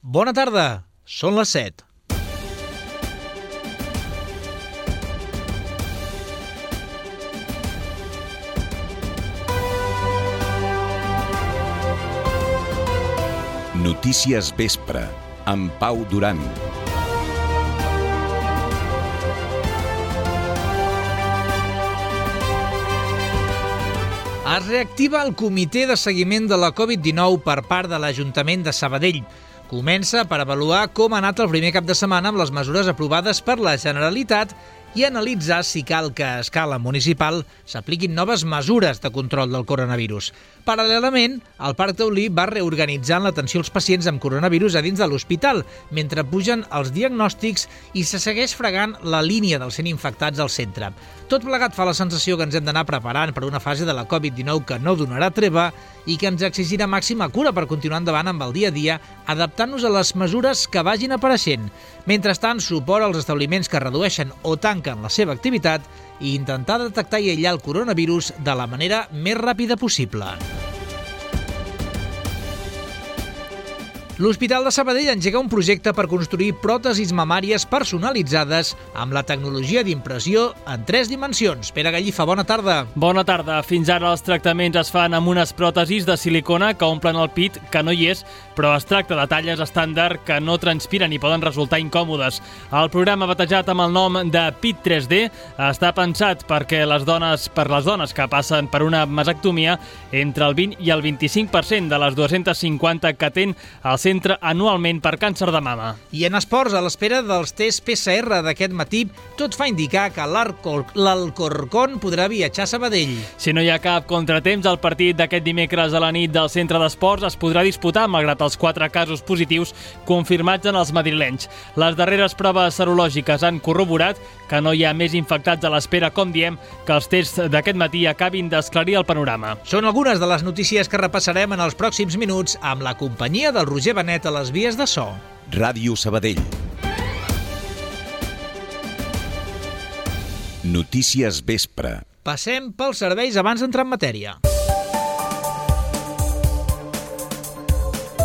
Bona tarda, són les 7. Notícies Vespre, amb Pau Duran. Es reactiva el comitè de seguiment de la Covid-19 per part de l'Ajuntament de Sabadell. Comença per avaluar com ha anat el primer cap de setmana amb les mesures aprovades per la Generalitat i analitzar si cal que a escala municipal s'apliquin noves mesures de control del coronavirus. Paral·lelament, el Parc Taulí va reorganitzant l'atenció als pacients amb coronavirus a dins de l'hospital, mentre pugen els diagnòstics i se segueix fregant la línia dels 100 infectats al centre. Tot plegat fa la sensació que ens hem d'anar preparant per una fase de la Covid-19 que no donarà treva i que ens exigirà màxima cura per continuar endavant amb el dia a dia, adaptant-nos a les mesures que vagin apareixent. Mentrestant, suport als establiments que redueixen o tanquen la seva activitat i intentar detectar i aïllar el coronavirus de la manera més ràpida possible. L'Hospital de Sabadell engega un projecte per construir pròtesis mamàries personalitzades amb la tecnologia d'impressió en 3 dimensions. Pere Gallifa, bona tarda. Bona tarda. Fins ara els tractaments es fan amb unes pròtesis de silicona que omplen el pit, que no hi és, però es tracta de talles estàndard que no transpiren i poden resultar incòmodes. El programa, batejat amb el nom de PIT 3D, està pensat per les dones que passen per una mastectomia, entre el 20 i el 25% de les 250 que atén al centre anualment per càncer de mama. I en esports, a l'espera dels tests PCR d'aquest matí, tot fa indicar que l'Alcorcón podrà viatjar a Sabadell. Si no hi ha cap contratemps, el partit d'aquest dimecres a la nit del centre d'esports es podrà disputar malgrat els 4 casos positius confirmats en els madrilenys. Les darreres proves serològiques han corroborat que no hi ha més infectats a l'espera, com diem, que els tests d'aquest matí acabin d'esclarir el panorama. Són algunes de les notícies que repassarem en els pròxims minuts amb la companyia del Roger Benet a les vies de so. Ràdio Sabadell. Notícies Vespre. Passem pels serveis abans d'entrar en matèria.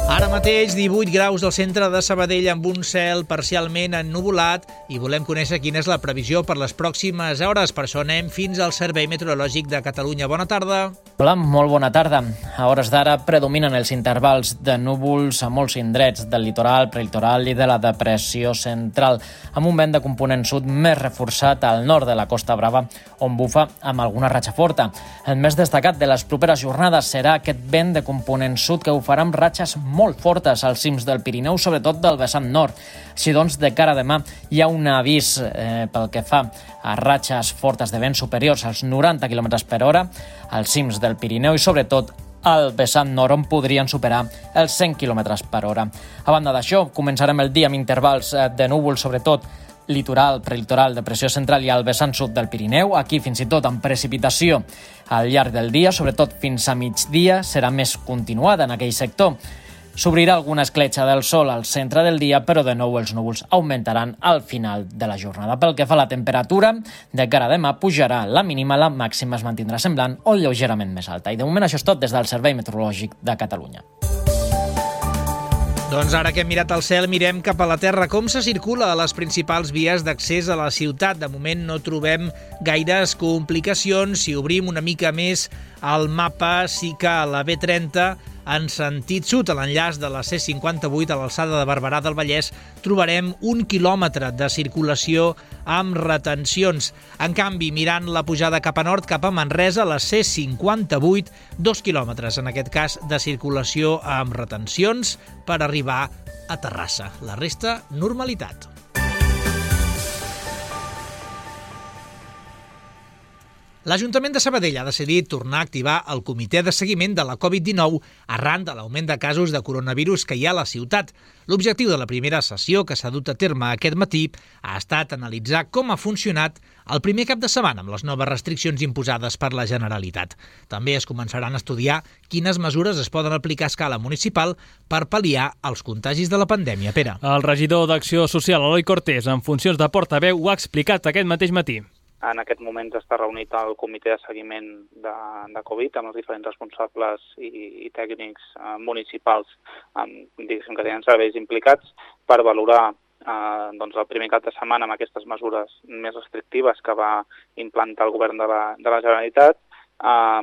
Ara mateix 18 graus al centre de Sabadell amb un cel parcialment ennuvolat i volem conèixer quina és la previsió per les pròximes hores. Per això anem fins al Servei Meteorològic de Catalunya. Bona tarda. Hola, molt bona tarda. A hores d'ara predominen els intervals de núvols a molts indrets del litoral, prelitoral i de la depressió central, amb un vent de component sud més reforçat al nord de la Costa Brava, on bufa amb alguna ratxa forta. El més destacat de les properes jornades serà aquest vent de component sud que bufarà amb ratxes molt fortes als cims del Pirineu, sobretot del vessant nord. Així doncs, de cara a demà hi ha un avís pel que fa a ratxes fortes de vent superiors als 90 km per hora als cims del Pirineu i sobretot al vessant nord, on podrien superar els 100 km per hora. A banda d'això, començarem el dia amb intervals de núvols, sobretot litoral, prelitoral, depressió central i al vessant sud del Pirineu. Aquí fins i tot amb precipitació al llarg del dia, sobretot fins a migdia, serà més continuada en aquell sector. S'obrirà alguna escletxa del sol al centre del dia, però de nou els núvols augmentaran al final de la jornada. Pel que fa a la temperatura, de cara a demà pujarà la mínima, la màxima es mantindrà semblant o lleugerament més alta. I de moment això és tot des del Servei Meteorològic de Catalunya. Doncs ara que hem mirat al cel, mirem cap a la terra. Com se circula a les principals vies d'accés a la ciutat? De moment no trobem gaires complicacions. Si obrim una mica més el mapa, sí que a la B30 en sentit sud, a l'enllaç de la C58 a l'alçada de Barberà del Vallès, trobarem 1 quilòmetre de circulació amb retencions. En canvi, mirant la pujada cap a nord, cap a Manresa, la C58, 2 quilòmetres, en aquest cas, de circulació amb retencions per arribar a Terrassa. La resta, normalitat. L'Ajuntament de Sabadell ha decidit tornar a activar el comitè de seguiment de la Covid-19 arran de l'augment de casos de coronavirus que hi ha a la ciutat. L'objectiu de la primera sessió que s'ha dut a terme aquest matí ha estat analitzar com ha funcionat el primer cap de setmana amb les noves restriccions imposades per la Generalitat. També es començaran a estudiar quines mesures es poden aplicar a escala municipal per pal·liar els contagis de la pandèmia. Pere. El regidor d'Acció Social, Eloi Cortés, en funcions de portaveu, ho ha explicat aquest mateix matí. En aquest moment està reunit el comitè de seguiment de Covid amb els diferents responsables i tècnics municipals diguéssim que tenen serveis implicats per valorar el primer cap de setmana amb aquestes mesures més restrictives que va implantar el govern de la Generalitat,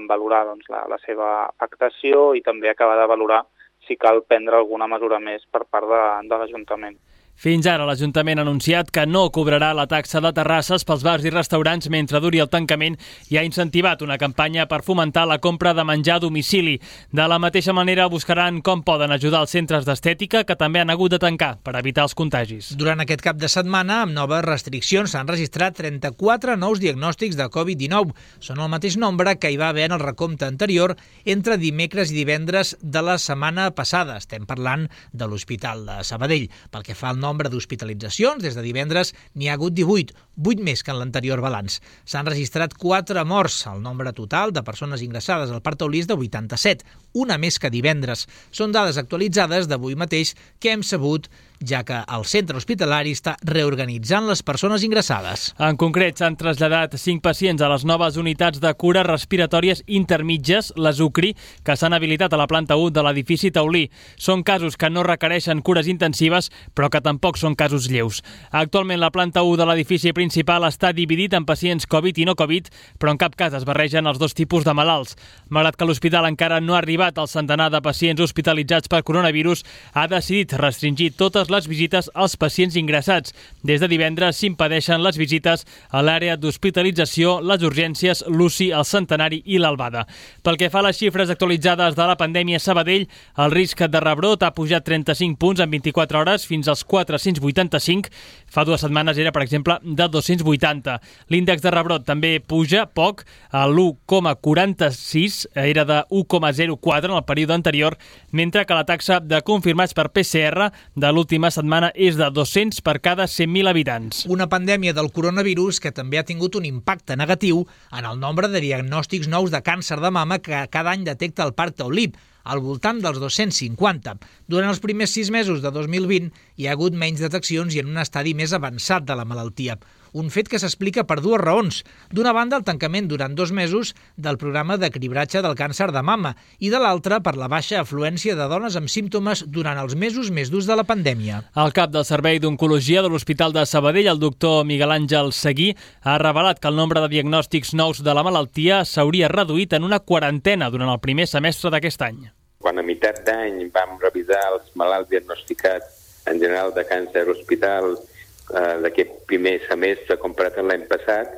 valorar la seva afectació i també acabar de valorar si cal prendre alguna mesura més per part de l'Ajuntament. Fins ara, l'Ajuntament ha anunciat que no cobrarà la taxa de terrasses pels bars i restaurants mentre duri el tancament i ha incentivat una campanya per fomentar la compra de menjar a domicili. De la mateixa manera, buscaran com poden ajudar els centres d'estètica que també han hagut de tancar per evitar els contagis. Durant aquest cap de setmana, amb noves restriccions, s'han registrat 34 nous diagnòstics de Covid-19. Són el mateix nombre que hi va haver en el recompte anterior entre dimecres i divendres de la setmana passada. Estem parlant de l'Hospital de Sabadell. Pel que fa al nombre d'hospitalitzacions, des de divendres n'hi ha hagut 18, 8 més que en l'anterior balanç. S'han registrat 4 morts. El nombre total de persones ingressades al Parc Taulí és de 87, una més que divendres. Són dades actualitzades d'avui mateix que hem sabut, ja que el centre hospitalari està reorganitzant les persones ingressades. En concret, s'han traslladat 5 pacients a les noves unitats de cures respiratòries intermitges, les UCRI, que s'han habilitat a la planta 1 de l'edifici Taulí. Són casos que no requereixen cures intensives, però que tampoc són casos lleus. Actualment, la planta 1 de l'edifici principal està dividit en pacients Covid i no Covid, però en cap cas es barregen els dos tipus de malalts. Malgrat que l'hospital encara no ha arribat al centenar de pacients hospitalitzats per coronavirus, ha decidit restringir totes les visites als pacients ingressats. Des de divendres s'impedeixen les visites a l'àrea d'hospitalització, les urgències, l'UCI, el Centenari i l'Albada. Pel que fa a les xifres actualitzades de la pandèmia a Sabadell, el risc de rebrot ha pujat 35 punts en 24 hores fins als 485. Fa 2 setmanes era, per exemple, de 280. L'índex de rebrot també puja poc, a l'1,46, era de 1,04 en el període anterior, mentre que la taxa de confirmats per PCR de l'última setmana és de 200 per cada 100.000 habitants. Una pandèmia del coronavirus que també ha tingut un impacte negatiu en el nombre de diagnòstics nous de càncer de mama que cada any detecta el Parc Taulí, al voltant dels 250. Durant els primers 6 mesos de 2020 hi ha hagut menys deteccions i en un estadi més avançat de la malaltia. Un fet que s'explica per 2 raons. D'una banda, el tancament durant 2 mesos del programa de cribratge del càncer de mama i de l'altra per la baixa afluència de dones amb símptomes durant els mesos més durs de la pandèmia. El cap del Servei d'Oncologia de l'Hospital de Sabadell, el doctor Miguel Àngel Seguí, ha revelat que el nombre de diagnòstics nous de la malaltia s'hauria reduït en una quarantena durant el primer semestre d'aquest any. Quan a meitat d'any vam revisar els malalts diagnosticats en general de càncer hospital d'aquest primer semestre comparat amb l'any passat,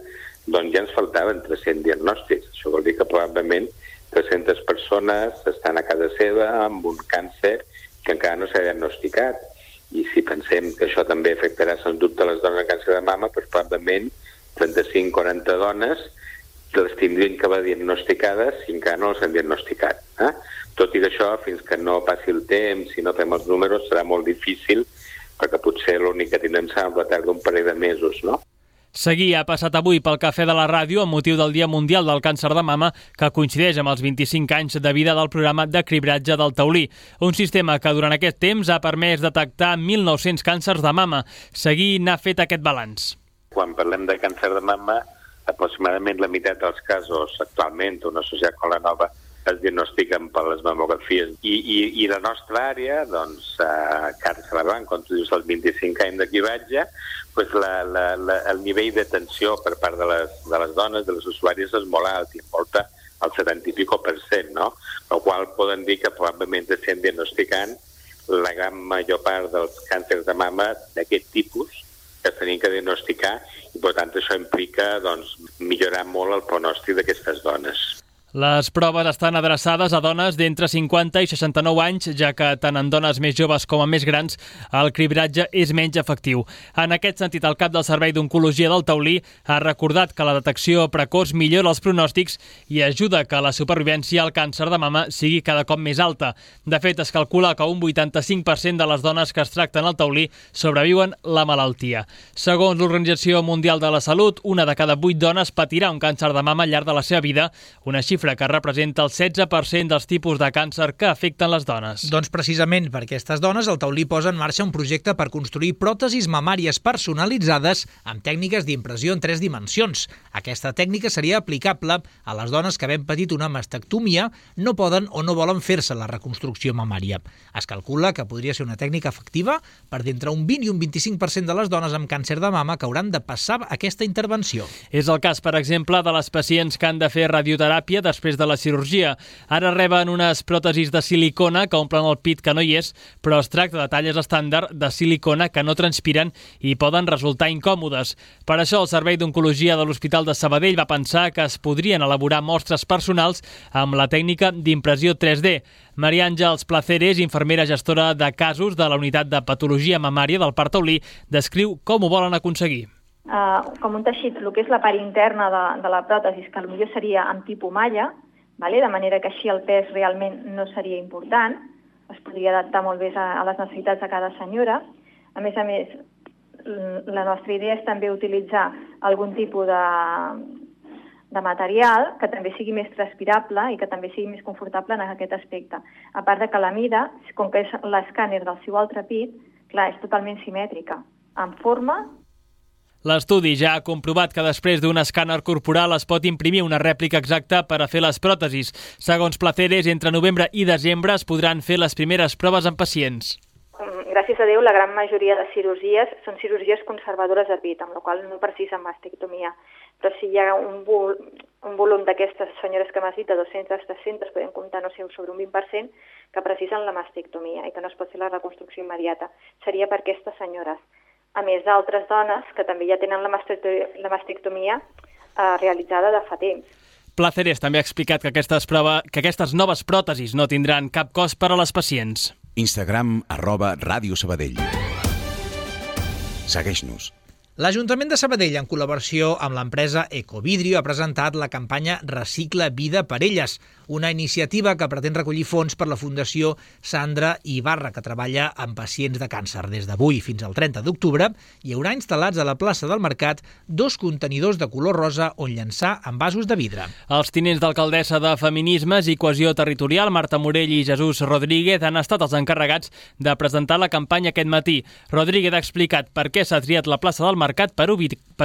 doncs ja ens faltaven 300 diagnòstics. Això vol dir que probablement 300 persones estan a casa seva amb un càncer que encara no s'ha diagnosticat. I si pensem que això també afectarà, sens dubte, les dones amb càncer de mama, doncs probablement 35-40 dones les tindrien que haver diagnosticades si encara no les han diagnosticat. Tot i que això, fins que no passi el temps, si no fem els números, serà molt difícil, perquè potser l'únic que tindrem serà un retard d'un parell de mesos, no? Seguí ha passat avui pel Cafè de la Ràdio amb motiu del Dia Mundial del Càncer de Mama, que coincideix amb els 25 anys de vida del programa de cribratge del Taulí, un sistema que durant aquest temps ha permès detectar 1.900 càncers de mama. Seguí n'ha fet aquest balanç. Quan parlem de càncer de mama, aproximadament la meitat dels casos actualment, una societat com la nova, es diagnostiquen per les mamografies. I la nostra àrea, doncs, càncer de mama, quan tu dius els 25 anys de cribratge, doncs el nivell d'atenció per part de les dones, de les usuàries, és molt alt, i envolta el 70 i pico%, no? El qual poden dir que probablement estem diagnosticant la gran major part dels càncers de mama d'aquest tipus que tenim que diagnosticar, i per tant això implica millorar molt el pronòstic d'aquestes dones. Les proves estan adreçades a dones d'entre 50 i 69 anys, ja que tant en dones més joves com en més grans el cribratge és menys efectiu. En aquest sentit, el cap del Servei d'Oncologia del Taulí ha recordat que la detecció precoç millora els pronòstics i ajuda que la supervivència al càncer de mama sigui cada cop més alta. De fet, es calcula que un 85% de les dones que es tracten al Taulí sobreviuen la malaltia. Segons l'Organització Mundial de la Salut, una de cada 8 dones patirà un càncer de mama al llarg de la seva vida, una xifra xifra que representa el 16% dels tipus de càncer que afecten les dones. Doncs precisament per aquestes dones, el Taulí posa en marxa un projecte per construir pròtesis mamàries personalitzades amb tècniques d'impressió en 3 dimensions. Aquesta tècnica seria aplicable a les dones que, havent patit una mastectomia, no poden o no volen fer-se la reconstrucció mamària. Es calcula que podria ser una tècnica efectiva per d'entre un 20 i un 25% de les dones amb càncer de mama que hauran de passar aquesta intervenció. És el cas, per exemple, de les pacients que han de fer radioteràpia després de la cirurgia. Ara reben unes pròtesis de silicona que omplen el pit que no hi és, però es tracta de talles estàndard de silicona que no transpiren i poden resultar incòmodes. Per això, el Servei d'Oncologia de l'Hospital de Sabadell va pensar que es podrien elaborar mostres personals amb la tècnica d'impressió 3D. Maria Àngels Placeres, infermera gestora de casos de la unitat de patologia mamària del Parc Taulí, descriu com ho volen aconseguir. Com un teixit, el que és la part interna de la pròtesi, que potser seria amb tipus malla, de manera que així el pes realment no seria important, es podria adaptar molt bé a les necessitats de cada senyora. A més, la nostra idea és també utilitzar algun tipus de material que també sigui més transpirable i que també sigui més confortable en aquest aspecte. A part de que la mida, com que és l'escàner del seu altre pit, clar, és totalment simètrica, en forma. L'estudi ja ha comprovat que després d'un escàner corporal es pot imprimir una rèplica exacta per a fer les pròtesis. Segons Placeres, entre novembre i desembre es podran fer les primeres proves en pacients. Gràcies a Déu, la gran majoria de cirurgies són cirurgies conservadores de pit, amb la qual no precisen mastectomia. Però si hi ha un volum d'aquestes senyores que m'has dit, de 200-300, podem comptar, sobre un 20%, que precisen la mastectomia i que no es pot fer la reconstrucció immediata. Seria per aquestes senyores. A més d'altres dones que també ja tenen la mastectomia realitzada de fa temps. Placeres també ha explicat que aquestes noves pròtesis no tindran cap cost per a les pacients. Instagram @Ràdio Sabadell. Segueix-nos. L'Ajuntament de Sabadell, en col·laboració amb l'empresa Ecovidrio, ha presentat la campanya Recicla Vida per Elles, una iniciativa que pretén recollir fons per la Fundació Sandra Ibarra, que treballa amb pacients de càncer. Des d'avui fins al 30 d'octubre hi haurà instal·lats a la plaça del Mercat 2 contenidors de color rosa on llançar envasos de vidre. Els tinents d'alcaldessa de Feminismes i Cohesió Territorial, Marta Morell i Jesús Rodríguez, han estat els encarregats de presentar la campanya aquest matí. Rodríguez ha explicat per què s'ha triat la plaça del Mercat per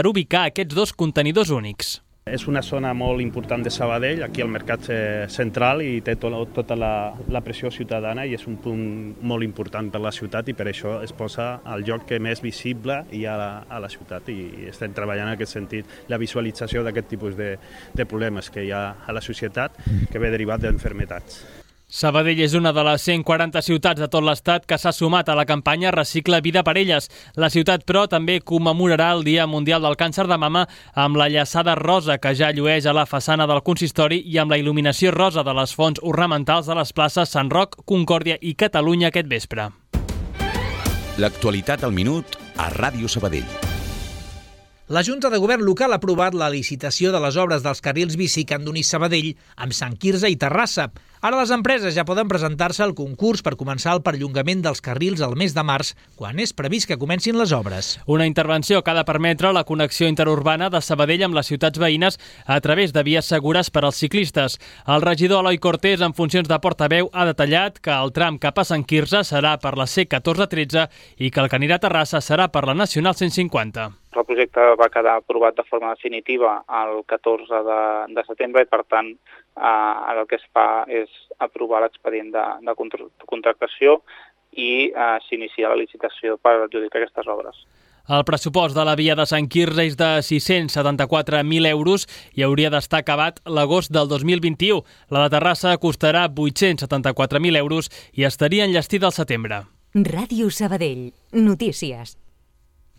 ubicar aquests 2 contenidors únics. És una zona molt important de Sabadell, aquí al Mercat Central, i té tota la pressió ciutadana i és un punt molt important per la ciutat i per això es posa al lloc que més visible hi ha a la ciutat i estem treballant en aquest sentit la visualització d'aquest tipus de problemes que hi ha a la societat que ve derivat d'enfermetats. Sabadell és una de les 140 ciutats de tot l'Estat que s'ha sumat a la campanya Recicla Vida per Elles. La ciutat, però, també commemorarà el Dia Mundial del Càncer de Mama amb la llaçada rosa que ja llueix a la façana del consistori i amb la il·luminació rosa de les fonts ornamentals de les places Sant Roc, Concòrdia i Catalunya aquest vespre. L'actualitat al minut a Ràdio Sabadell. La Junta de Govern local ha aprovat la licitació de les obres dels carrils bici que han d'unir Sabadell amb Sant Quirze i Terrassa. Ara les empreses ja poden presentar-se al concurs per començar el perllongament dels carrils al mes de març, quan és previst que comencin les obres. Una intervenció que ha de permetre la connexió interurbana de Sabadell amb les ciutats veïnes a través de vies segures per als ciclistes. El regidor Eloi Cortés, en funcions de portaveu, ha detallat que el tram cap a Sant Quirze serà per la C1413 i que el que anirà a Terrassa serà per la Nacional 150. El projecte va quedar aprovat de forma definitiva el 14 de setembre i, per tant, ara el que es fa és aprovar l'expedient de contractació i s'inicia la licitació per adjudicar aquestes obres. El pressupost de la via de Sant Quirze és de 674.000 euros i hauria d'estar acabat l'agost del 2021. La de Terrassa costarà 874.000 euros i estaria enllestida al setembre. Ràdio Sabadell. Notícies.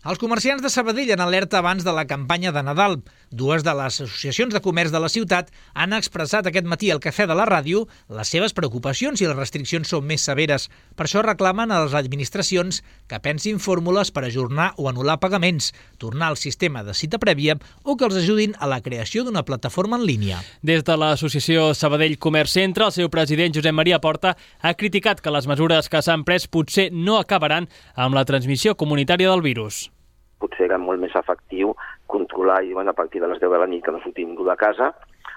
Els comerciants de Sabadell en alerta abans de la campanya de Nadal. 2 de les associacions de comerç de la ciutat han expressat aquest matí al Cafè de la Ràdio les seves preocupacions si les restriccions són més severes. Per això reclamen a les administracions que pensin fórmules per ajornar o anul·lar pagaments, tornar al sistema de cita prèvia o que els ajudin a la creació d'una plataforma en línia. Des de l'associació Sabadell Comerç Centre, el seu president Josep Maria Porta ha criticat que les mesures que s'han pres potser no acabaran amb la transmissió comunitària del virus. Potser era molt més efectiu controlar i a partir de les 10 de la nit que no sortim de casa,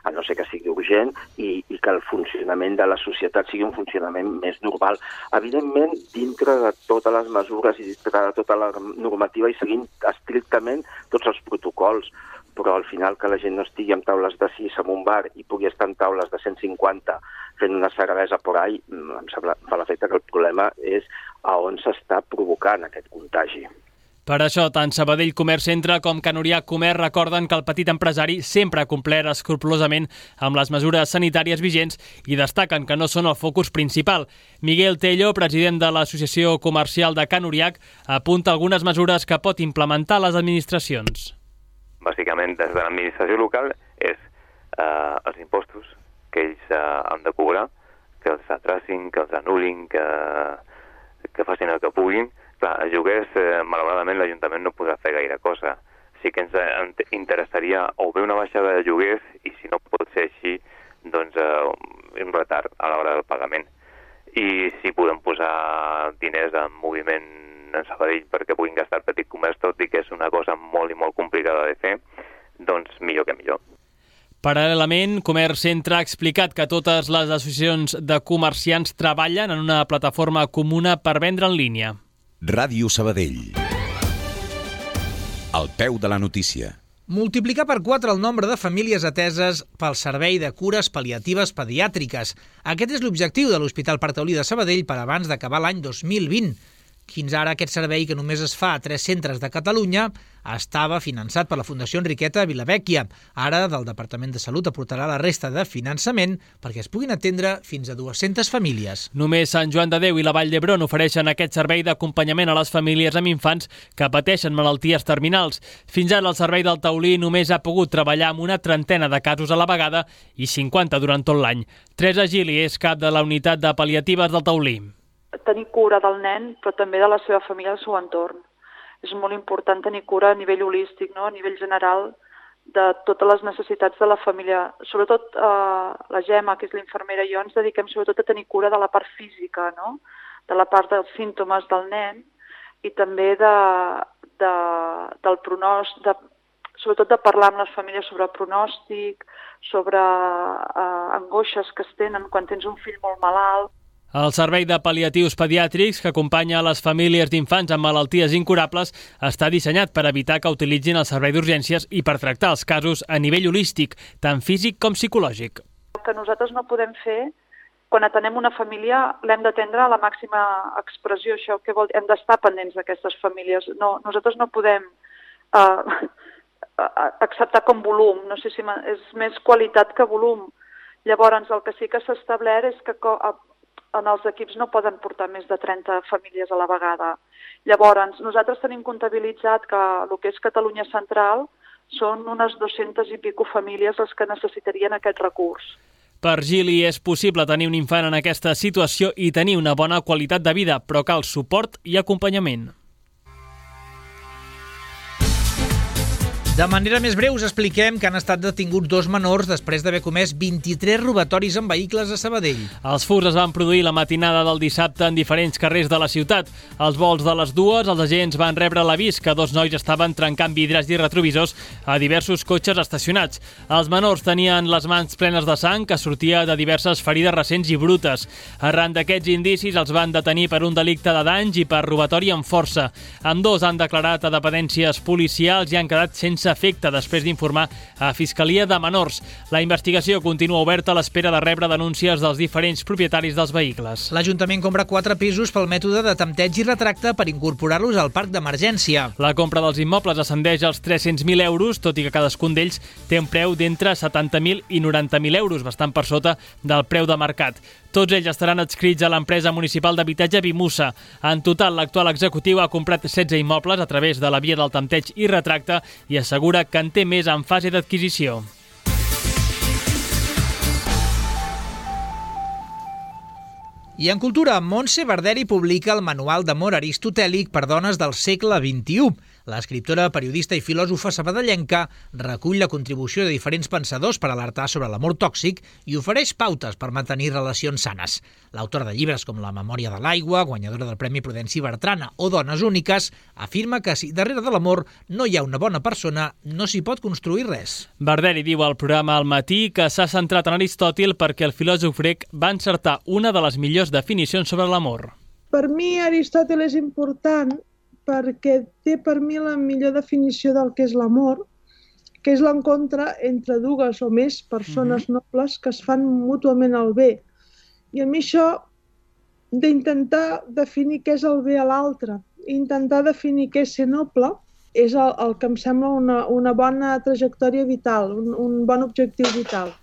a no ser que sigui urgent, i que el funcionament de la societat sigui un funcionament més normal. Evidentment, dintre de totes les mesures i dintre de tota la normativa i seguint estrictament tots els protocols, però al final que la gent no estigui amb taules de 6 en un bar i pugui estar en taules de 150 fent una cervesa por ahí, em sembla, fa l'efecte que el problema és a on s'està provocant aquest contagi. Per això, tant Sabadell Comerç Centre com Can Oriac Comerç recorden que el petit empresari sempre ha complert escrupolosament amb les mesures sanitàries vigents i destaquen que no són el focus principal. Miguel Tello, president de l'Associació Comercial de Can Oriac, apunta algunes mesures que pot implementar les administracions. Bàsicament, des de l'administració local és els impostos que ells han de cobrar, que els atracin, que els anul·lin, que facin el que puguin. Clar, a lloguers, malauradament, l'Ajuntament no podrà fer gaire cosa. Sí que ens interessaria o bé una baixada de lloguers i, si no pot ser així, doncs un retard a l'hora del pagament. I si podem posar diners en moviment en Sabadell perquè puguin gastar el petit comerç, tot i que és una cosa molt i molt complicada de fer, doncs millor que millor. Paral·lelament, Comerç Centre ha explicat que totes les associacions de comerciants treballen en una plataforma comuna per vendre en línia. Ràdio Sabadell. Al peu de la notícia. Multiplicar per 4 el nombre de famílies ateses pel Servei de Cures Pal·liatives Pediàtriques. Aquest és l'objectiu de l'Hospital Parc Taulí de Sabadell per abans d'acabar l'any 2020. Fins ara, aquest servei, que només es fa a 3 centres de Catalunya, estava finançat per la Fundació Enriqueta Vilavecchia. Ara, del Departament de Salut aportarà la resta de finançament perquè es puguin atendre fins a 200 famílies. Només Sant Joan de Déu i la Vall d'Hebron ofereixen aquest servei d'acompanyament a les famílies amb infants que pateixen malalties terminals. Fins ara, el Servei del Taulí només ha pogut treballar amb una trentena de casos a la vegada i 50 durant tot l'any. Teresa Gili és cap de la unitat de pal·liatives del Taulí. Tenir cura del nen, però també de la seva família, del seu entorn. És molt important tenir cura a nivell holístic, no? A nivell general, de totes les necessitats de la família. Sobretot la Gemma, que és l'infermera, i jo ens dediquem sobretot a tenir cura de la part física, no? De la part dels símptomes del nen i també del pronòstic, sobretot de parlar amb les famílies sobre pronòstic, sobre angoixes que es tenen quan tens un fill molt malalt. El Servei de Pal·liatius Pediàtrics, que acompanya a les famílies d'infants amb malalties incurables, està dissenyat per evitar que utilitzin el servei d'urgències i per tractar els casos a nivell holístic, tant físic com psicològic. El que nosaltres no podem fer, quan atenem una família, l'hem d'atendre a la màxima expressió. Això què vol dir? Hem d'estar pendents d'aquestes famílies. No, nosaltres no podem acceptar com volum. No sé si és més qualitat que volum. Llavors, el que sí que s'ha establert és que en els equips no poden portar més de 30 famílies a la vegada. Llavors, nosaltres tenim comptabilitzat que el que és Catalunya Central són unes 200 i pico famílies les que necessitarien aquest recurs. Per Gili és possible tenir un infant en aquesta situació i tenir una bona qualitat de vida, però cal suport i acompanyament. De manera més breu us expliquem que han estat detinguts 2 menors després d'haver comès 23 robatoris en vehicles a Sabadell. Els furts es van produir la matinada del dissabte en diferents carrers de la ciutat. Als volts de les 2, els agents van rebre l'avís que 2 nois estaven trencant vidres i retrovisors a diversos cotxes estacionats. Els menors tenien les mans plenes de sang que sortia de diverses ferides recents i brutes. Arran d'aquests indicis els van detenir per un delicte de danys i per robatori amb força. Ambdós han declarat a dependències policials i han quedat sense efecte després d'informar a Fiscalia de Menors. La investigació continua oberta a l'espera de rebre denúncies dels diferents propietaris dels vehicles. L'Ajuntament compra 4 pisos pel mètode de tempteig i retracte per incorporar-los al parc d'emergència. La compra dels immobles ascendeix als 300.000 euros, tot i que cadascun d'ells té un preu d'entre 70.000 i 90.000 euros, bastant per sota del preu de mercat. Tots ells estaran adscrits a l'empresa municipal d'habitatge Vimusa. En total, l'actual executiu ha comprat 16 immobles a través de la via del tempteig i retracte i assegura que en té més en fase d'adquisició. I en cultura, Montse Barderi publica el Manual d'amor aristotèlic per dones del segle XXI. L'escriptora, periodista i filòsofa sabadellenca recull la contribució de diferents pensadors per alertar sobre l'amor tòxic i ofereix pautes per mantenir relacions sanes. L'autor de llibres com La memòria de l'aigua, guanyadora del Premi Prudenci Bertrana o Dones úniques, afirma que si darrere de l'amor no hi ha una bona persona, no s'hi pot construir res. Barderi diu al programa Al matí que s'ha centrat en Aristòtil perquè el filòsof grec va encertar una de les millors definicions sobre l'amor. Per mi Aristòtil és important perquè té per mi la millor definició del que és l'amor, que és l'encontre entre dues o més persones nobles que es fan mútuament el bé. I a mi això d'intentar definir què és el bé a l'altre, intentar definir què és ser noble, és el que em sembla una bona trajectòria vital, un bon objectiu vital.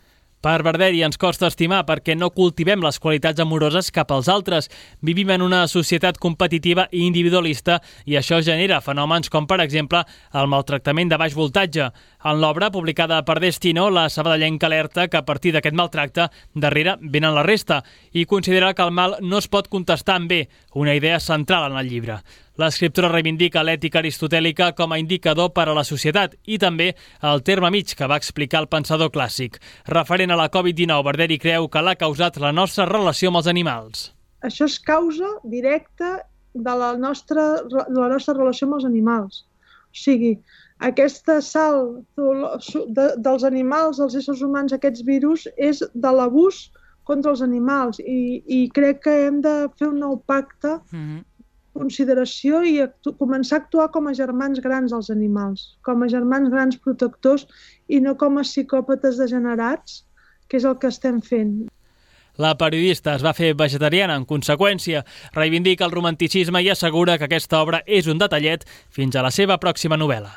Per Barderi ens costa estimar perquè no cultivem les qualitats amoroses cap als altres. Vivim en una societat competitiva i individualista i això genera fenòmens com, per exemple, el maltractament de baix voltatge. En l'obra, publicada per Destino, la sabadellenca alerta que a partir d'aquest maltracte darrere venen la resta i considera que el mal no es pot contestar amb bé, una idea central en el llibre. L'escriptora reivindica l'ètica aristotèlica com a indicador per a la societat i també el terme mig que va explicar el pensador clàssic. Referent a la Covid-19, Barderi creu que l'ha causat la nostra relació amb els animals. Això és causa directa de la nostra relació amb els animals. O sigui, aquesta salt dels animals, dels éssers humans, aquests virus, és de l'abús contra els animals i crec que hem de fer un nou pacte consideració i començar a actuar com a germans grans als animals, com a germans grans protectors i no com a psicòpates degenerats, que és el que estem fent. La periodista es va fer vegetariana en conseqüència, reivindica el romanticisme i assegura que aquesta obra és un detallet fins a la seva pròxima novel·la.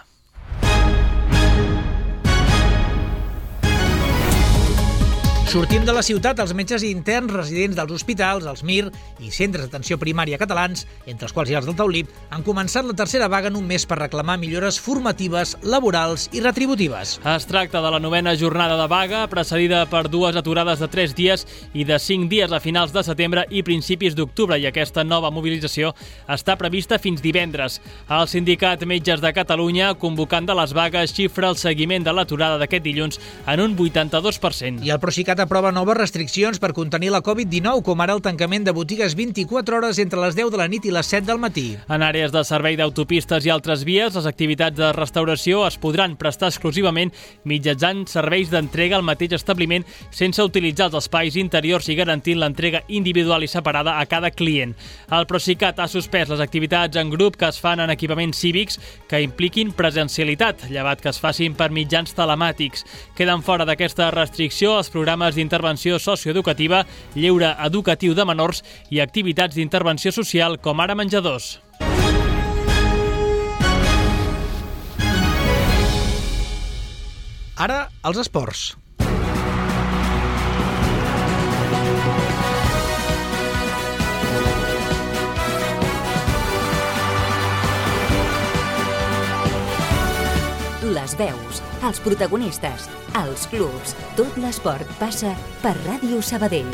Sortim de la ciutat, els metges interns residents dels hospitals, els MIR i centres d'atenció primària catalans, entre els quals hi ha els del Taulí, han començat la tercera vaga en un mes per reclamar millores formatives, laborals i retributives. Es tracta de la 9ª jornada de vaga, precedida per 2 aturades de 3 dies i de 5 dies a finals de setembre i principis d'octubre, i aquesta nova mobilització està prevista fins divendres. El sindicat Metges de Catalunya, convocant de les vagues, xifra el seguiment de l'aturada d'aquest dilluns en un 82%. I el Procicat aprova noves restriccions per contenir la Covid-19, com ara el tancament de botigues 24 hores entre les 10 de la nit i les 7 del matí. En àrees de servei d'autopistes i altres vies, les activitats de restauració es podran prestar exclusivament mitjançant serveis d'entrega al mateix establiment sense utilitzar els espais interiors i garantint l'entrega individual i separada a cada client. El Procicat ha suspès les activitats en grup que es fan en equipaments cívics que impliquin presencialitat, llevat que es facin per mitjans telemàtics. Queden fora d'aquesta restricció els programes d'intervenció socioeducativa, lleure educatiu de menors i activitats d'intervenció social com ara menjadors. Ara, els esports. Les veus, els protagonistes, els clubs, tot l'esport passa per Ràdio Sabadell.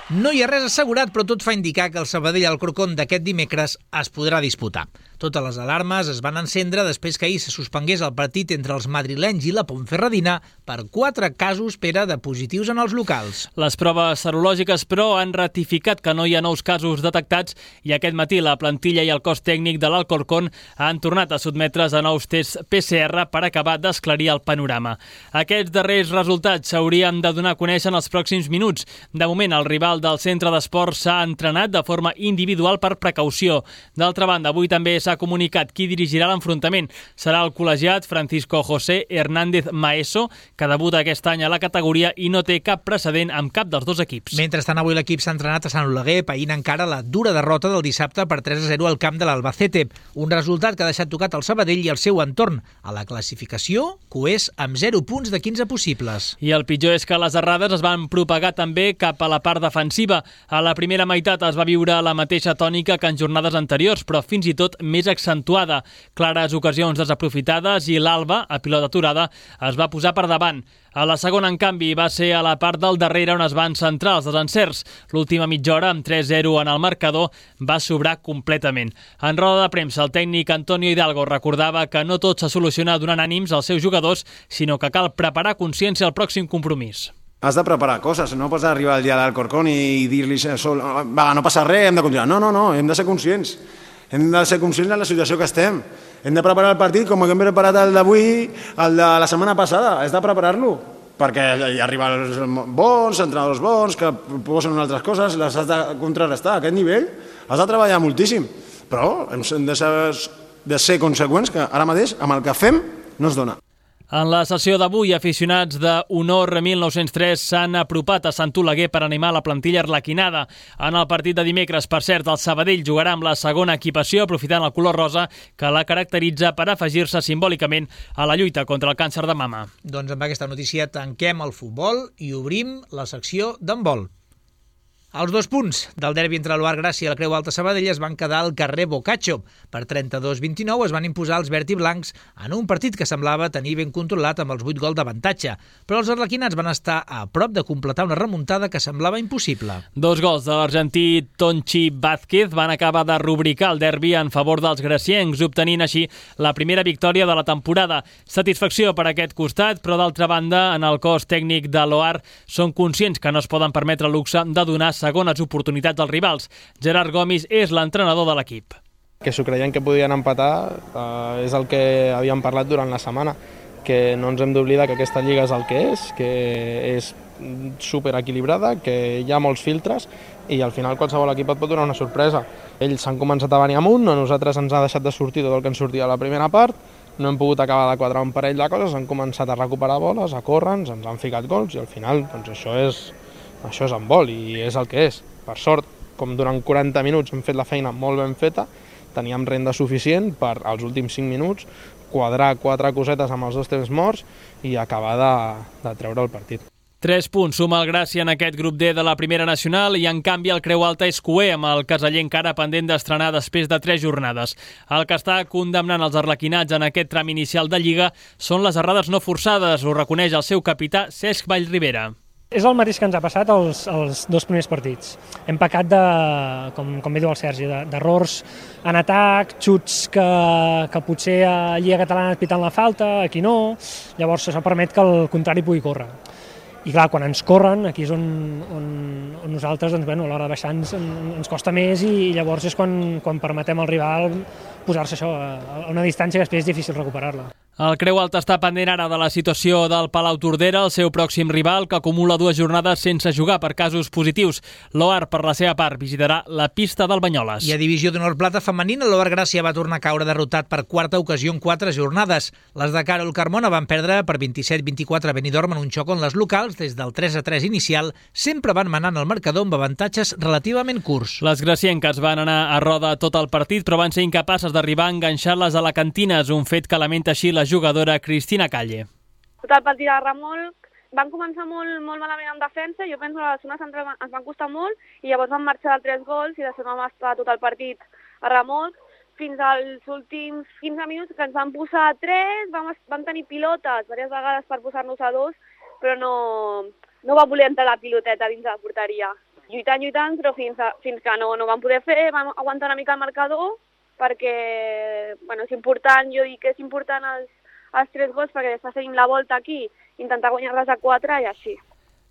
No hi ha res assegurat, però tot fa indicar que el Sabadell-Alcorcón d'aquest dimecres es podrà disputar. Totes les alarmes es van encendre després que ahir se suspengués el partit entre els madrilenys i la Ponferradina per 4 casos de positius en els locals. Les proves serològiques, però, han ratificat que no hi ha nous casos detectats i aquest matí la plantilla i el cos tècnic de l'Alcorcón han tornat a sotmetre's a nous tests PCR per acabar d'esclarir el panorama. Aquests darrers resultats s'haurien de donar a conèixer en els pròxims minuts. De moment, el rival del centre d'esport s'ha entrenat de forma individual per precaució. D'altra banda, avui també s'ha comunicat qui dirigirà l'enfrontament. Serà el col·legiat Francisco José Hernández Maeso, que debuta aquest any a la categoria i no té cap precedent amb cap dels dos equips. Mentrestant, avui l'equip s'ha entrenat a Sant Oleguer, païnt encara la dura derrota del dissabte per 3-0 al camp de l'Albacete. Un resultat que ha deixat tocat el Sabadell i el seu entorn. A la classificació, coers amb 0 punts de 15 possibles. I el pitjor és que les errades es van propagar també cap a la part defensiva. A la primera meitat es va viure la mateixa tònica que en jornades anteriors, però fins i tot més més accentuada. Clares ocasions desaprofitades i l'Alba, a pilota aturada, es va posar per davant. A la segona, en canvi, va ser a la part del darrere on es van centrar els desencerts. L'última mitja hora, amb 3-0 en el marcador, va sobrar completament. En roda de premsa, el tècnic Antonio Hidalgo recordava que no tot s'ha solucionat donant ànims als seus jugadors, sinó que cal preparar consciència al pròxim compromís. Has de preparar coses, no pots arribar al dia d'Alcorcón i dir-li va, no passa res, hem de continuar. No, hem de ser conscients. Hem de ser conscients de la situació que estem. Hem de preparar el partit com hem preparat el d'avui, el de la setmana passada. Has de preparar-lo, perquè hi arriben els bons, entrenadors bons, que proposen altres coses, les has de contrarrestar. A aquest nivell has de treballar moltíssim, però hem de ser conseqüents que ara mateix amb el que fem no es dona. En la sessió d'avui, aficionats de Honor 1903 s'han apropat a Sant Oleguer per animar la plantilla arlequinada. En el partit de dimecres, per cert, el Sabadell jugarà amb la segona equipació, aprofitant el color rosa que la caracteritza per afegir-se simbòlicament a la lluita contra el càncer de mama. Doncs amb aquesta notícia tanquem el futbol i obrim la secció d'handbol. Els 2 punts del derbi entre l'Oar Gràcia i la Creu Alta Sabadell es van quedar al carrer Boccaccio. Per 32-29 es van imposar els verd i blancs en un partit que semblava tenir ben controlat amb els 8 gols d'avantatge. Però els arlequinats van estar a prop de completar una remuntada que semblava impossible. 2 gols de l'argentí Tonchi Vázquez van acabar de rubricar el derbi en favor dels graciencs, obtenint així la primera victòria de la temporada. Satisfacció per aquest costat, però d'altra banda, en el cos tècnic de l'Oar són conscients que no es poden permetre el luxe de donar segones oportunitats als rivals. Gerard Gomis és l'entrenador de l'equip. Que s'ho creien que podien empatar és el que havíem parlat durant la setmana, que no ens hem d'oblidar que aquesta lliga és el que és superequilibrada, que hi ha molts filtres i al final qualsevol equip et pot donar una sorpresa. Ells s'han començat a venir amunt, a nosaltres ens ha deixat de sortir tot el que ens sortia a la primera part, no hem pogut acabar de quadrar un parell de coses, han començat a recuperar boles, a córrer, ens han ficat gols i al final doncs això és handbol i és el que és. Per sort, com durant 40 minuts hem fet la feina molt ben feta, teníem renda suficient per, als últims 5 minuts, quadrar 4 cosetes amb els 2 temps morts i acabar de treure el partit. 3 punts suma el Gràcia en aquest grup D de la Primera Nacional i en canvi el Creu Alta és cuer amb el caseller encara pendent d'estrenar després de 3 jornades. El que està condemnant els arlequinats en aquest tram inicial de Lliga són les errades no forçades, ho reconeix el seu capità Cesc Vallribera. És el mateix que ens ha passat els 2 primers partits. Hem pecat com bé diu el Sergi, d'errors en atac, xuts que potser a Lliga Catalana et piten la falta, aquí no, llavors això permet que el contrari pugui córrer. I clar, quan ens corren, aquí és on nosaltres, a l'hora de baixar ens costa més i llavors és quan permetem al rival posar-se això a una distància que després és difícil recuperar-la. El Creu Alta està pendent ara de la situació del Palau Tordera, el seu pròxim rival, que acumula 2 jornades sense jugar per casos positius. L'Oar, per la seva part, visitarà la pista del Banyoles. I a Divisió d'Honor Plata femenina, l'Oar Gràcia va tornar a caure derrotat per 4a ocasió en 4 jornades. Les de Carol Carmona van perdre per 27-24 a Benidorm en un xoc on les locals, des del 3-3 inicial, sempre van manant el marcador amb avantatges relativament curts. Les gracienques van anar a roda tot el partit, però van ser incapaces d'arribar a enganxar-les a la Cantines, un fet que lamenta així la jugadora Cristina Calle. Tot el partit de remolc, van començar molt malament en defensa, jo penso que a la zona central ens van costar molt i llavors van marxar de 3 gols i després vam estar tot el partit a remolc fins als últims 15 minuts que ens van posar 3, vam tenir pilotes diverses vegades per posar-nos a 2, però no va voler entrar la piloteta dins de la porteria. Lluitant, però fins que no vam poder fer, vam aguantar una mica el marcador perquè és important, jo dic que és important els 3 gols perquè després tenim la volta aquí, intentar guanyar-les a 4 i així.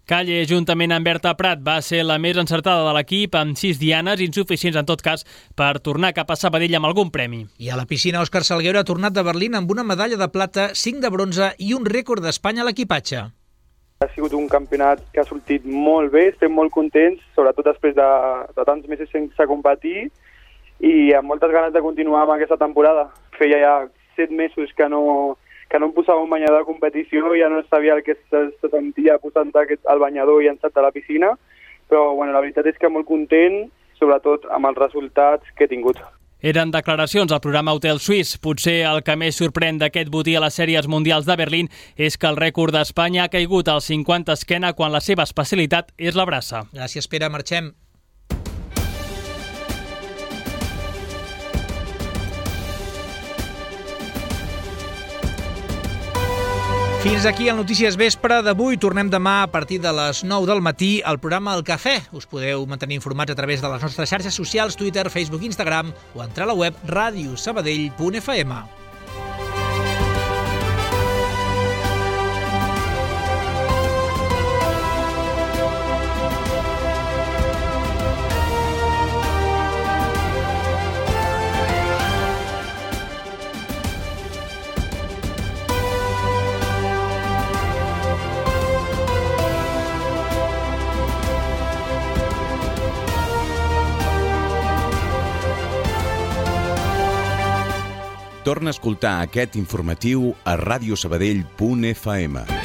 Calle, juntament amb Berta Prat, va ser la més encertada de l'equip, amb 6 dianes, insuficients en tot cas, per tornar cap a Sabadell amb algun premi. I a la piscina, Òscar Salguero ha tornat de Berlín amb una medalla de plata, 5 de bronze i un rècord d'Espanya a l'equipatge. Ha sigut un campionat que ha sortit molt bé, estem molt contents, sobretot després de tants mesos sense competir i amb moltes ganes de continuar amb aquesta temporada. Feia ja 7 mesos que no em posava un banyador de competició, ja no sabia el que se sentia posant el banyador i llançat a la piscina, però la veritat és que molt content, sobretot amb els resultats que he tingut. Eren declaracions al programa Hotel Suisse. Potser el que més sorprèn d'aquest botí a les sèries mundials de Berlín és que el rècord d'Espanya ha caigut al 50 esquena quan la seva especialitat és la braça. Gràcies, Pere. Marxem. Fins aquí el Notícies Vespre d'avui. Tornem demà a partir de les 9 del matí al programa El Cafè. Us podeu mantenir informats a través de les nostres xarxes socials, Twitter, Facebook, Instagram o entrar a la web radiosabadell.fm. Torna a escoltar aquest informatiu a radiosabadell.fm.